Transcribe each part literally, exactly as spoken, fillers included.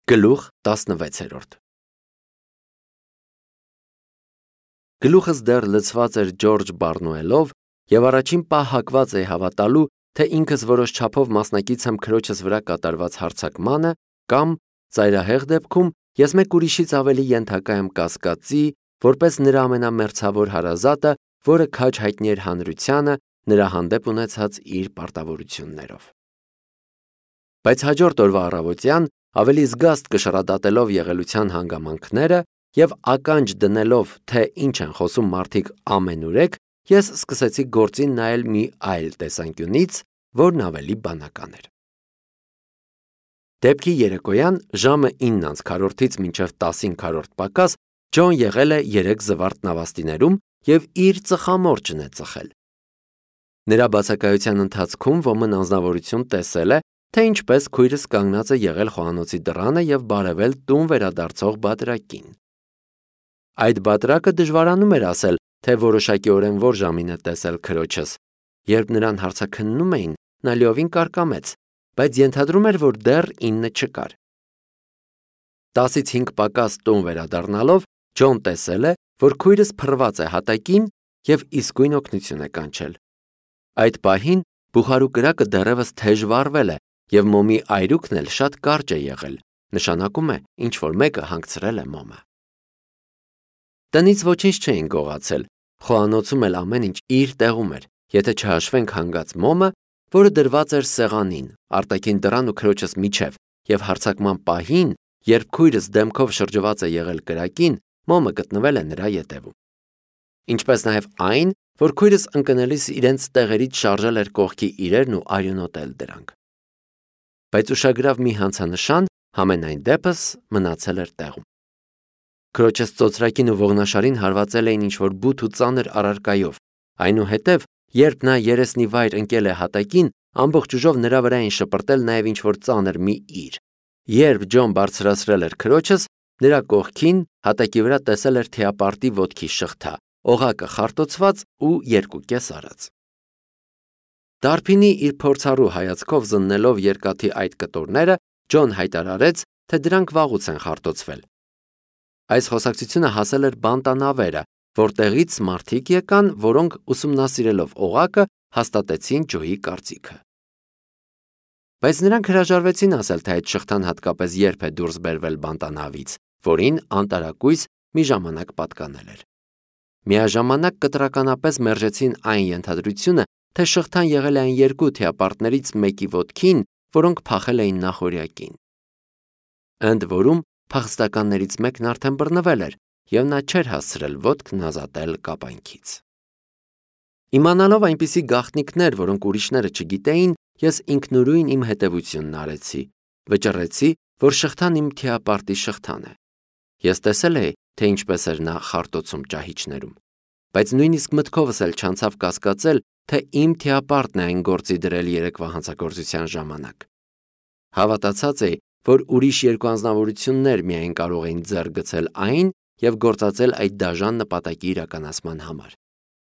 Գլուխ տասնվեցերորդ Գլուխս դեռ լցված էր Ջորջ Բարնոելով և առաջին պահ հակված էի հավատալու, թե ինքս որոշ չափով մասնակից եմ քրոջս վրա կատարված հարձակմանը կամ, ծայրահեղ դեպքում, ես մեկ ուրիշից ավելի ենթակա եմ կասկածի, որպես նրա ամենամերձավոր հարազատը, որը քաջ հայտնի էր հանրությանը նրա հանդեպ ունեցած իր պարտավորություններով։ Բայց հաջորդ օրվա առավոտյան, ավելի զգաստ կշռադատելով եղելության հանգամանքները և ականջ դնելով, թե ինչ են խոսում մարդիկ ամենուրեք, ես սկսեցի գործին նայել մի այլ տեսանկյունից, որն ավելի բանական էր։ Դեպքի երեկոյան ժամը ինը անց քառորդից մինչև տասին քառորդ պակաս Ջոն եղել է երեք զվարթ նավաստիներում և իր ծխամորճն է ծխել։ Նրա բացակայության ընթացքում ոմն անձնավորություն տեսել է, թե ինչպես քույրս կանգնած է եղել խոհանոցի դռանը և բարևել տուն վերադարձող բատրակին։ Այդ բատրակը դժվարանում էր ասել, թե որոշակիորեն որ ժամին է տեսել քրոջս, երբ նրան հարցաքննում էին, նա լիովին կարկամեց, բայց ենթադրում էր, որ դեռ ինը չկար։ Տասից հինգ պակաս տուն վերադառնալով Ջոն տեսել է, որ քույրս փռված է հատակին և իսկույն օգնություն է կանչել։ Այդ պահին բուխարու կրակը դեռևս թեժ վառվել է և մոմի այրուքն էլ շատ կարճ է եղել, նշանակում է, ինչ-որ մեկը հանգցրել է մոմը։ Տնից ոչինչ չէին գողացել, խոհանոցում էլ ամեն ինչ իր տեղում էր, եթե չհաշվենք հանգած մոմը, որը դրված էր սեղանին, արտաքին դռան ու քրոջս միջև, և հարձակման պահին, երբ քույրս դեմքով շրջված է եղել կրակին, մոմը գտնվել է նրա ետևում։ Ինչպես նաև այն, որ քույրս ընկնելիս իրենց տեղերից շարժել էր կողքի իրերն ու արյունոտել դրանք։ Բայց ուշագրավ մի հանցանշան համենայն դեպս մնացել էր տեղում։ Քրոջս ծոծրակին ու ողնաշարին հարվածել էին ինչ-որ բութ ու ծանր առարկայով, այնուհետև, երբ նա երեսնի վայր ընկել է հատակին, ամբողջ ուժով նրա վրա էին շպրտել նաև ինչ-որ ծանր մի իր։ Երբ Ջոն բարձրացրել էր քրոջս, նրա կողքին հատակի վրա տեսել էր թիապարտի ոտքի շղթա, օղակը խարտոցված ու երկու կես արած։ Դարբինի իր փորձառու հայացքով զննելով երկաթի այդ կտորները, Ջոն հայտարարեց, թե դրանք վաղուց են խարտոցվել։ Այս խոսակցությունը հասել էր բանտանավերը, որտեղից մարդիկ եկան, որոնք ուսումնասիրելով օղակը հաստատեցին Ջոյի կարծիքը։ Բայց նրանք հրաժարվեցին ասել, թե այդ շղթան հատկապես երբ է դուրս բերվել բանտանավից, որին անտարակույս մի ժամանակ պատկանել էր։ Միաժամանակ կտրականապես մերժեցին այն ենթադրությունը, թե շղթան եղել է այն երկու թիապարտներից մեկի ոտքին, որոնք փախել էին նախօրյակին։ Ընդ որում, փախստականներից մեկն արդեն բռնվել էր, և նա չէր հասցրել ոտքն ազատել կապանքից։ Իմանալով այնպիսի գաղտնիքներ, որոնք ուրիշները չգիտեին, ես ինքնուրույն իմ հետևությունն արեցի, վճռեցի, որ շղթան իմ թիապարտի շղթան է։ Ես տեսել էի, թե ինչպես էր նա խարտոցում ճահիճներում, բայց նույնիսկ մտքովս էլ չանցավ կասկածել, թե իմ թիապարտն է այն գործի դրել երեկվա հանցագործության ժամանակ։ Հավատացած էի, որ ուրիշ երկու անձնավորություններ միայն կարող էին ձեռք գցել այն և գործածել այդ դաժան նպատակի իրականացման համար։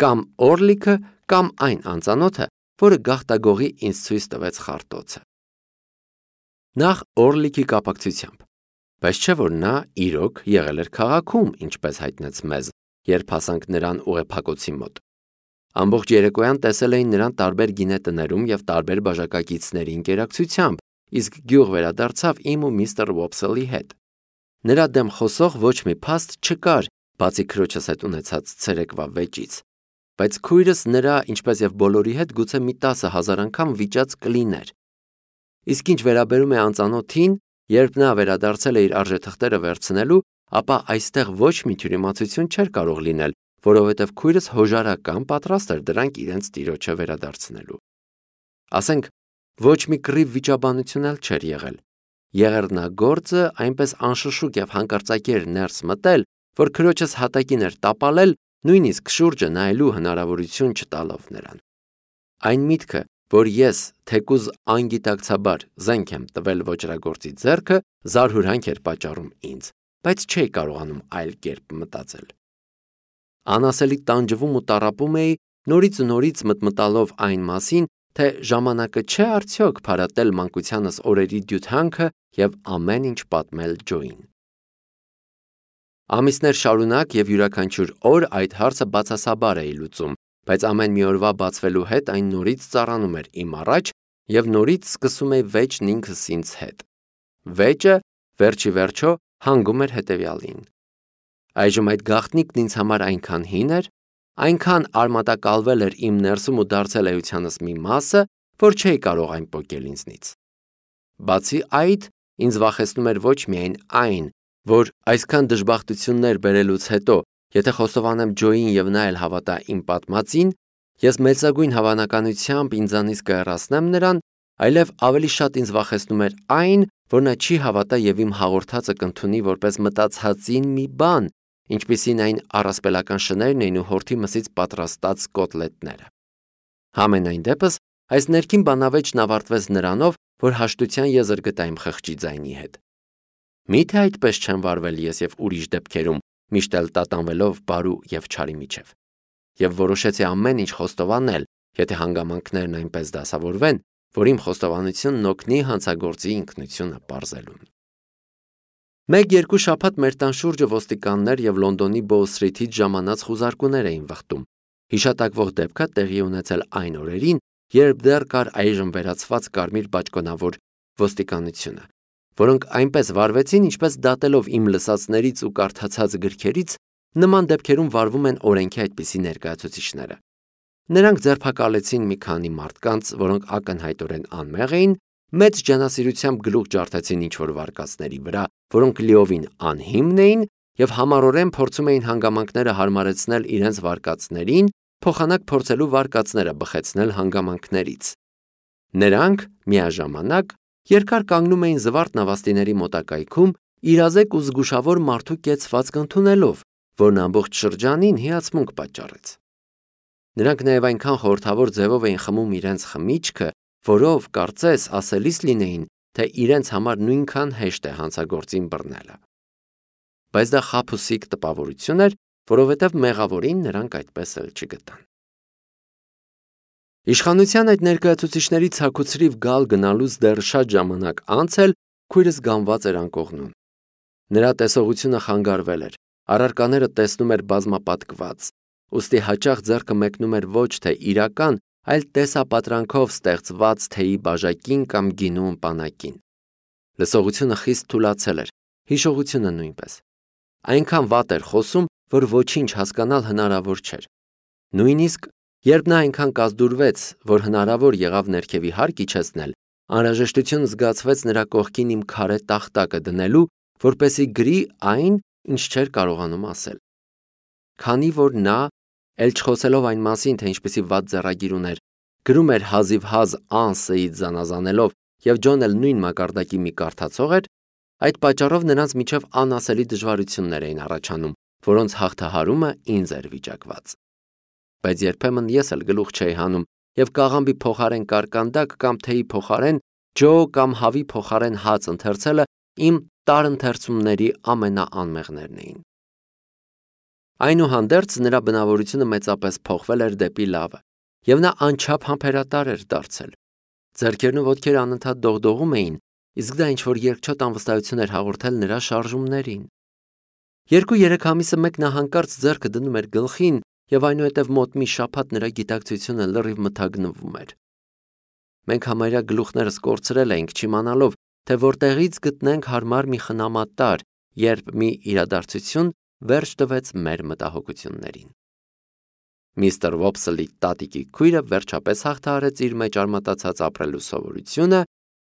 Կամ Օրլիքը, կամ այն անծանոթը, որը գաղտագողի ինձ ցույց տվեց խարտոցը։ Նախ Օրլիքի կապակցությամբ, բայց չէ որ նա իրոք եղել էր քաղաքում, ինչպես հայտնեց մեզ, երբ հասանք նրան ուղեփակոցի մոտ։ Ամբողջ երեկոյան տեսել էին նրան տարբեր գինետներում և տարբեր բաժակակիցների ընկերակցությամբ, իսկ գյուղ վերադարձավ իմ ու միստր Ոփսելի հետ։ Նրա դեմ խոսող ոչ մի փաստ չկար, բացի քրոջս հետ ունեցած ցերեկվա վեճից, բայց քույրս նրա, ինչպես և բոլորի հետ, գուցե մի տասը հազար անգամ վիճած կլիներ։ Իսկ ինչ վերաբերում է անծանոթին, երբ նա վերադարձել է իր արժեթղթերը վերցնելու, ապա այստեղ ոչ մի թյուրիմացություն չէր կարող լինել, որովհետև քույրս հոժարական պատրաստ էր դրանք իրենց տիրոջը վերադարձնելու։ Ասենք, ոչ մի կռիվ վիճաբանություն էլ չէր եղել։ Եղեռնագործը այնպես անշշուկ և հանկարծակի էր ներս մտել, որ քրոջս հատակին էր տապալել, նույնիսկ շուրջը նայելու հնարավորություն չտալով նրան։ Այն միտքը, որ ես թեկուզ անգիտակցաբար զենք եմ տվել ոճրագործի ձեռքը, զարհուրանք էր պատճառում ինձ, բայց չէի կարողանում այլ կերպ մտածել։ Անասելի տանջվում ու տառապում էի, նորից ու նորից մտմտալով այն մասին, թե ժամանակը չէ արդյոք փարատել մանկությանս օրերի դյութանքը և ամեն ինչ պատմել Ջոյին։ Ամիսներ շարունակ և յուրաքանչյուր օր այդ հարցը բացասաբար էի լուծում, բայց ամեն մի օրվա բացվելու հետ այն նորից ծառանում էր իմ առաջ և նորից սկսում էի վեճն ինքս ինձ հետ։ Վեճը, վերջի վերջո, հանգում էր հետևյալին. Այժմ այդ գաղտնիքն ինձ համար այնքան հին էր, այնքան արմատակալվել էր իմ ներսում ու դարձել էությանս մի մասը, որ չէի կարող այն պոկել ինձնից։ Բացի այդ, ինձ վախեցնում էր ոչ միայն այն, որ այսքան դժբախտություններ բերելուց հետո, եթե խոստովանեմ Ջոյին և նա էլ հավատա իմ պատմածին, ես մեծագույն հավանականությամբ ինձանից կհեռացնեմ նրան, այլև ավելի շատ ինձ վախեցնում էր այն, որ նա չի հավատա և իմ հաղորդածը կընդունի որպես մտածածին մի բան, ինչպիսին այն առասպելական շներն էին ու հորթի մսից պատրաստած կոտլետները։ Համենայն դեպս, այս ներքին բանավեճն ավարտվեց նրանով, որ հաշտության եզր գտա իմ խղճի ձայնի հետ։ Մի՞թե այդպես չեմ վարվել ես և ուրիշ դեպքերում, միշտ էլ տատանվելով բարու և չարի միջև։ Եվ որոշեցի ամեն ինչ խոստովանել, եթե հանգամանքներն այնպես դասավորվեն, որ իմ խոստովանությունն օգնի հանցագործի ինքնությունը պարզելուն։ Մեկ-երկու շաբաթ մեր տան շուրջը ոստիկաններ և Լոնդոնի Բոու Սթրիթից ժամանած խուզարկուներ էին վխտում։ Հիշատակվող դեպքը տեղի ունեցել այն օրերին, երբ դեռ կար այժմ վերացված կարմիր բաճկոնավոր ոստիկանությունը, որոնք այնպես վարվեցին, ինչպես դատելով իմ լսածներից ու կարդացած գրքերից, նման դեպքերում վարվում են օրենքի այդպիսի ներկայացուցիչները։ Նրանք ձերբակալեցին մի քանի մարդկանց, որոնք ակնհայտորեն անմեղ էին, մեծ ջանասիրությամբ գլուխ ջարդեցին ինչ-որ վարկածների վրա, որոնք լիովին անհիմն էին և համառորեն փորձում էին հանգամանքները հարմարեցնել իրենց վարկածներին, փոխանակ փորձելու վարկածները բխեցնել հանգամանքներից։ Նրանք միաժամանակ երկար կանգնում էին զվարթ նավաստիների մոտակայքում, իրազեկ ու զգուշավոր մարդու կեցվածք ընդունելով, որն ամբողջ շրջանին հիացմունք պատճառեց։ Նրանք նաև այնքան խորհրդավոր ձևով էին խմում իրենց խմիչքը, որով, կարծես, ասելիս լինեին, թե իրենց համար նույնքան հեշտ է հանցագործին բռնելը։ Բայց դա խաբուսիկ տպավորություն էր, որովհետև մեղավորին նրանք այդպես էլ չգտան։ Իշխանության այդ ներկայացուցիչների ցաքուցրիվ գալ գնալուց դեռ շատ ժամանակ անց էլ քույրս գանված էր անկողնուն։ Նրա տեսողությունը խանգարվել էր, առարկաները տեսնում էր բազմապատկված, ուստի հաճախ ձեռքը մեկնում էր ոչ թե իրական, այլ տեսապատրանքով ստեղծված թեյի բաժակին կամ գինու ըմպանակին։ Լսողությունը խիստ թուլացել էր, հիշողությունը նույնպես։ Այնքան վատ էր խոսում, որ ոչինչ հասկանալ հնարավոր չէր։ Նույնիսկ երբ նա այնքան կազդուրվեց, որ հնարավոր եղավ ներքևի հարկ իջեցնել, անհրաժեշտություն զգացվեց նրա կողքին իմ քարե տախտակը դնելու, որպեսզի գրի այն, ինչ չէր կարողանում ասել։ Քանի որ նա, էլ չխոսելով այն մասին, թե ինչպիսի վատ ձեռագիր ուներ, գրում էր հազիվհազ ան-Ս-ից զանազանելով, և Ջոն էլ նույն մակարդակի մի կարդացող էր, այդ պատճառով նրանց միջև անասելի դժվարություններ էին առաջանում, որոնց հաղթահարումը ինձ էր վիճակված։ Բայց երբեմն ես էլ գլուխ չէի հանում և կաղամբի փոխարեն կարկանդակ կամ թեյի փոխարեն ջո կամ հավի փոխարեն հաց ընթերցելը իմ տարընթերցումների ամենաանմեղներն էին։ Այնուհանդերձ նրա բնավորությունը մեծապես փոխվել էր դեպի լավը, և նա անչափ համբերատար էր դարձել։ Ձեռքերն ու ոտքերը անընդհատ դողդողում էին, իսկ դա ինչ-որ երկչոտ անվստահություն էր հաղորդել նրա շարժումներին։ Երկու-երեք ամիսը մեկ նա հանկարծ ձեռքը դնում էր գլխին, և այնուհետև մոտ մի շաբաթ նրա գիտակցությունը լրիվ մթագնվում էր։ Մենք համարյա գլուխներս կորցրել էինք, չիմանալով, թե որտեղից գտնենք հարմար մի խնամատար, երբ մի իրադարձություն վերջ տվեց մեր մտահոգություններին։ Միստր Վոփսլի տատիկի քույրը վերջապես հաղթահարեց իր մեջ արմատացած ապրելու սովորությունը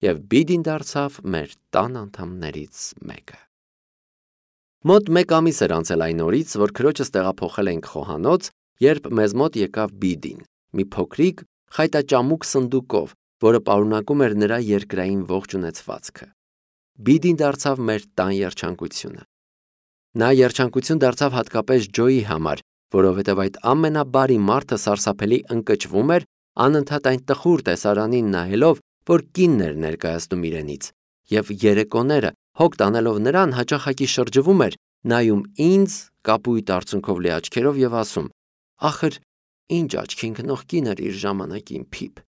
և Բիդին դարձավ մեր տան անդամներից մեկը։ Մոտ մեկ ամիս էր անցել այն օրից, որ քրոջս տեղափոխել էինք խոհանոց, երբ մեզ մոտ եկավ Բիդին, մի փոքրիկ խայտաճամուկ սնդուկով, որը պարունակում էր նրա երկրային ողջ ունեցվածքը։ Բիդին դարձավ մեր տան երջանկությունը։ Նա երջանկություն դարձավ հատկապես Ջոյի համար, որովհետև այդ ամենաբարի մարդը սարսափելի ընկճվում էր, անընդհատ այն տխուր տեսարանին նայելով, որ կինն էր ներկայացնում իրենից, և երեկոները, հոգ տանելով նրան, հաճախակի շրջվում էր, նայում ինձ կապույտ արցունքով լի աչքերով և ասում. «Ախր, ինչ աչքի ընկնող կին էր իր ժամանակին, Փիփ»։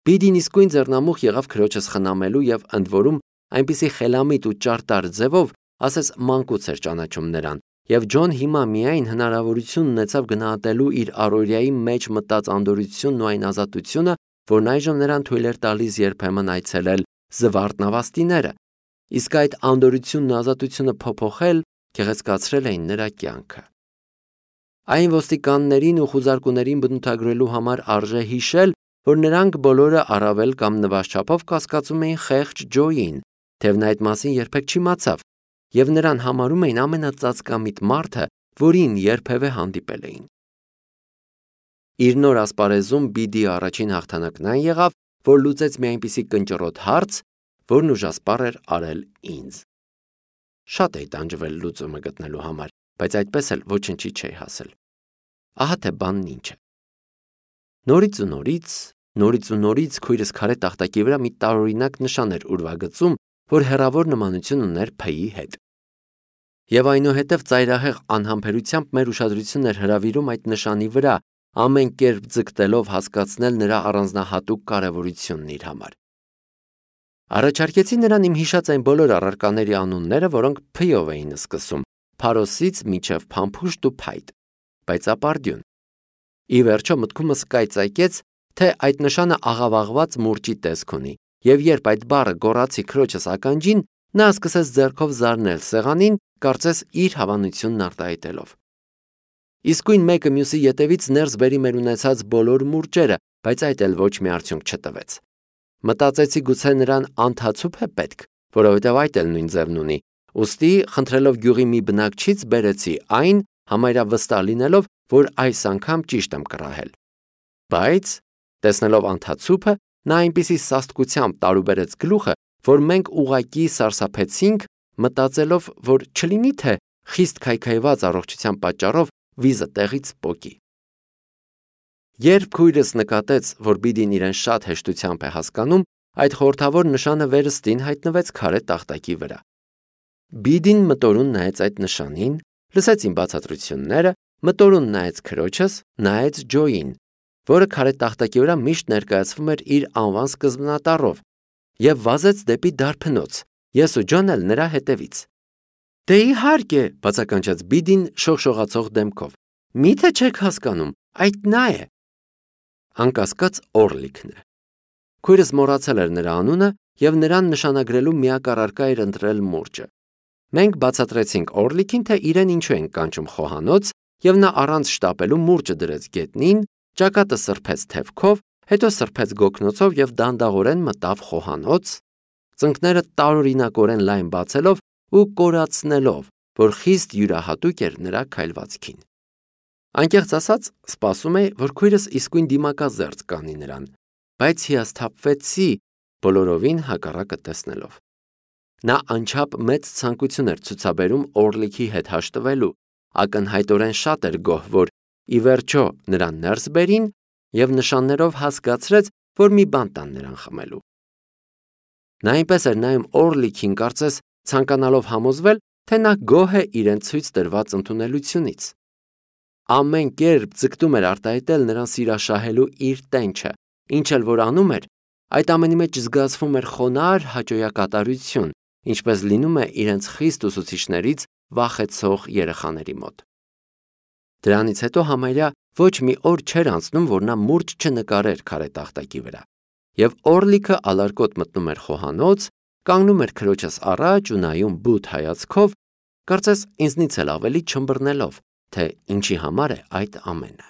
Բիդին իսկույն ձեռնամուխ եղավ քրոջս խնամելու եւ ընդ որում այնպիսի խելամիտ ու ճարտար ձևով, ասես մանկուց էր ճանաչում նրան, եւ Ջոն հիմա միայն հնարավորություն ունեցավ գնահատելու իր առօրյայի մեջ մտած անդորությունն ու այն ազատությունը, որն այժմ նրան թույլ էր տալիս երբեմն այցելել զվարթ նավաստիները, իսկ այդ անդորությունն ու ազատությունը փոփոխել գեղեցկացրել էին նրա կյանքը։ Այն ոստիկաններին ու խուզարկուներին բնութագրելու համար արժե հիշել, որ նրանք բոլորը առավել կամ նվազած չափով կասկածում էին խեղճ Ջոյին, թեև նա այդ մասին երբեք չիմացավ, եւ նրան համարում էին ամենածածկամիտ մարդը, որին երբևէ հանդիպել էին։ Իր նոր ասպարեզում Բիդի առաջին հաղթանակն այն եղավ, որ լուծեց մի այնպիսի կնճռոտ հարց, որն ուժասպառ էր արել ինձ։ Շատ էի տանջվել լուծումը գտնելու համար, բայց այդպես էլ ոչնչի չէի հասել։ Ահա թե բանն ինչ է։ Նորից ու նորից, նորից ու նորից քույրս քարե տախտակի վրա մի տարօրինակ նշան էր ուրվագծում, որ հեռավոր նմանություն ուներ Փ-ի հետ։ Եվ այնուհետև ծայրահեղ անհամբերությամբ մեր ուշադրությունն էր հրավիրում այդ նշանի վրա, ամեն կերպ ձգտելով հասկացնել նրա առանձնահատուկ կարևորությունն իր համար։ Առաջարկեցի նրան իմ հիշած այն բոլոր առարկաների անունները, որոնք Փ-ով էին սկսում, Փարոսից մինչև Փամփուշտ ու Փայտ, բայց ապարդյուն։ Ի վերջո մտքումս կայծակեց, թե այդ նշանը աղավաղված մուրճի տեսք ունի, եւ երբ այդ բառը գոռացի քրոջս ականջին, նա սկսեց ձեռքով զարնել սեղանին, կարծես իր հավանությունն արտահայտելով։ Իսկույն մեկը մյուսի ետևից ներս բերի մեր ունեցած բոլոր մուրճերը, բայց այդ էլ ոչ մի արդյունք չտվեց։ Մտածեցի գուցե նրան անթացուփ է պետք, որովհետև այդ էլ նույն ձևն ունի, ուստի խնդրելով գյուղի մի բնակչից բերեցի այն, համարյա վստահ լինելով, որ այս անգամ ճիշտ եմ կռահել։ Բայց, տեսնելով անթացուփը, նա այնպիսի սաստկությամբ տարուբերեց գլուխը, որ մենք ուղղակի սարսափեցինք, մտածելով, որ չլինի թե խիստ քայքայված առողջության պատճառով վիզը տեղից պոկի։ Երբ քույրս նկատեց, որ Բիդին իրեն շատ հեշտությամբ է հասկանում, այդ խորհրդավոր նշանը վերստին հայտնվեց քարե տախտակի վրա։ Բիդին մտորուն նայեց այդ նշանին, լսեց իմ բացատրությունները, մտորուն նայեց քրոջս, նայեց Ջոյին, որը քարե տախտակի վրա միշտ ներկայացվում էր իր անվան սկզբնատառով, եւ վազեց դեպի դարբնոց, ես ու Ջոն էլ նրա հետևից։ Դե իհարկե, բացականչեց Բիդին շողշողացող դեմքով։ Միթե չեք հասկանում, այդ նա է։ Անկասկած Օրլիքն է։ Քույրս մոռացել էր նրա անունը եւ նրան նշանագրելու միակ առարկա էր ընտրել մուրճը։ Մենք բացատրեցինք Օրլիքին, թե իրեն ինչու են կանչում խոհանոց, եւ նա առանց շտապելու մուրճը դրեց գետնին, ճակատը սրբեց թևքով, հետո սրբեց գոգնոցով եւ դանդաղորեն մտավ խոհանոց, ծնկները տարօրինակորեն լայն բացելով ու կորացնելով, որ խիստ յուրահատուկ էր նրա քայլվածքին։ Անկեղծ ասած, սպասում էի, որ քույրս իսկույն դիմակազերծ կանի նրան, բայց հիասթափվեցի բոլորովին հակառակը տեսնելով։ Նա անչափ մեծ ցանկություն էր ցուցաբերում Օրլիքի հետ հաշտվելու, ակնհայտորեն շատ էր գոհ, որ ի վերջո նրան ներս բերին եւ նշաններով հասկացրեց, որ մի բան տան նրան խմելու։ Նա այնպես էր նայում Օրլիքին, կարծես ցանկանալով համոզվել, թե նա գոհ է իրեն ցույց տրված ընդունելությունից։ Ամեն կերպ ձգտում էր արտահայտել նրան սիրաշահելու իր տենչը, ինչ էլ որ անում էր, այդ ամենի մեջ զգացվում էր խոնարհ հաճոյակատարություն, ինչպես լինում է իրենց խիստ ուսուցիչներից վախեցող երեխաների մոտ։ Դրանից հետո համարյա ոչ մի օր չէր անցնում, որ նա մուրճ չնկարեր քարե տախտակի վրա, եւ Օրլիքը ալարկոտ մտնում էր խոհանոց, կանգնում էր քրոջս առաջ ու նայում բութ հայացքով, կարծես ինձնից էլ ավելի չմբռնելով, թե ինչի համար է այդ ամենը։